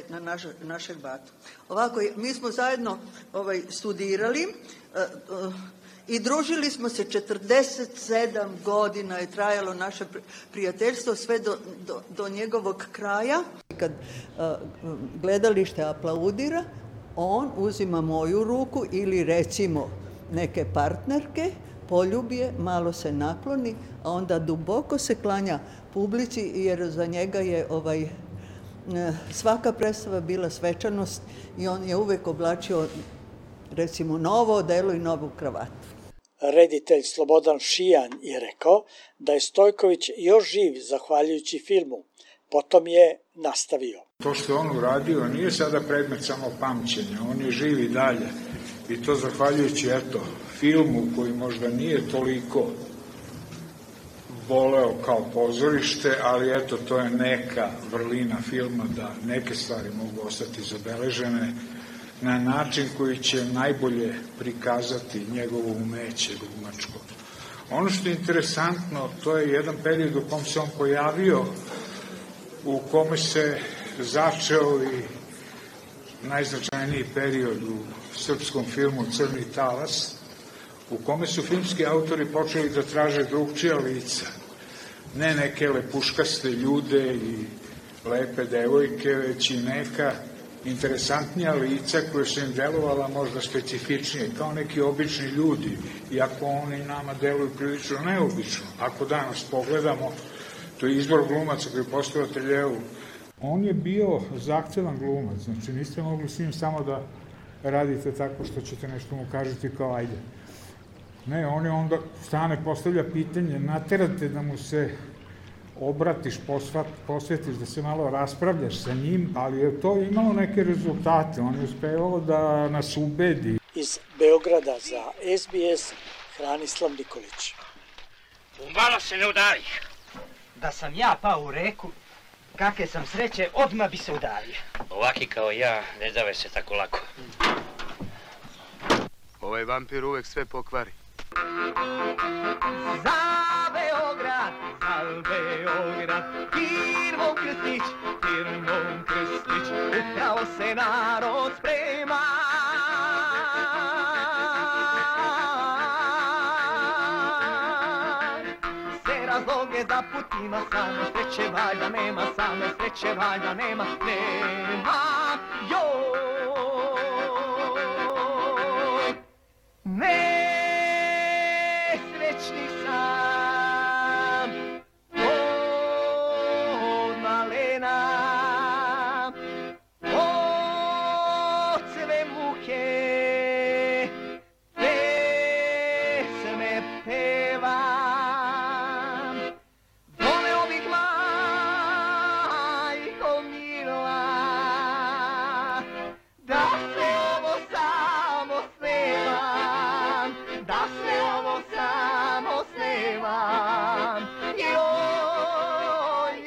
na našeg batu. Ovako, mi smo zajedno studirali i družili smo se 47 godina je trajalo naše prijateljstvo sve do njegovog kraja. Kad gledalište aplaudira, on uzima moju ruku ili recimo neke partnerke, poljubi je, malo se nakloni, a onda duboko se klanja publici jer za njega je svaka predstava bila svečanost i on je uvek oblačio recimo novo odelo i novu kravatu. Reditelj Slobodan Šijan je rekao da je Stojković još živ zahvaljujući filmu. Potom je nastavio. To što on uradio nije sada predmet samo pamćenja, on je živ i dalje. I to zahvaljujući, filmu koji možda nije toliko voleo kao pozorište, ali to je neka vrlina filma da neke stvari mogu ostati zabeležene na način koji će najbolje prikazati njegovo umeće glumačko. Ono što je interesantno, to je jedan period u kom se on pojavio, u kome se začeo i najznačajniji period u srpskom filmu Crni talas, u kome su filmski autori počeli da traže drugčija lica, ne neke lepuškaste ljude i lepe devojke, već i neka interesantnija lica koje su im delovala možda specifičnije, kao neki obični ljudi, iako oni nama deluju prilično neobično. Ako danas pogledamo, to je izbor glumaca koji je postavio Ateljevu. On je bio zahtevan glumac, znači niste mogli s njim samo da radite tako što ćete nešto mu kažete kao ajde. Ne, on je onda stane, postavlja pitanje, naterate da mu se obratiš, posvetiš, da se malo raspravljaš sa njim, ali je to imalo neke rezultate, on je uspevao da nas ubedi. Iz Beograda za SBS, Hranislav Nikolić. Umalo se ne udariš. Da sam ja pao u reku, kakve sam sreće, odmah bi se udario. Ovaki kao ja ne dave se tako lako. Ovaj vampir uvek sve pokvari. Za Beograd, firmom Krstić, upravo se narod sprema. Sve razloge za putima, samo sreće valjda nema, joj. Nesrećni sam od malena, od sve muke pesme pevam. Voleo bih majko mila da se ovo samo snevam, joj,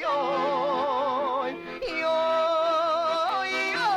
joj, joj, joj.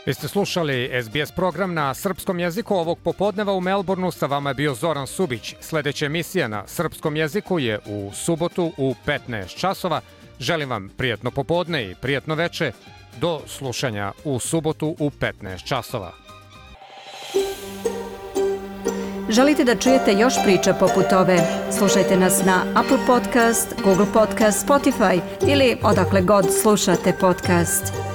Vi ste slušali SBS program na srpskom jeziku. Ovog popodneva u Melbourneu sa vama je bio Zoran Subić. Sledeća emisija na srpskom jeziku je u subotu u 15 časova. Želim vam prijatno popodne i prijatno veče. Do slušanja u subotu u 15 časova. Želite da čujete još priča poput ove? Slušajte nas na Apple Podcast, Google Podcast, Spotify ili odakle god slušate podcast.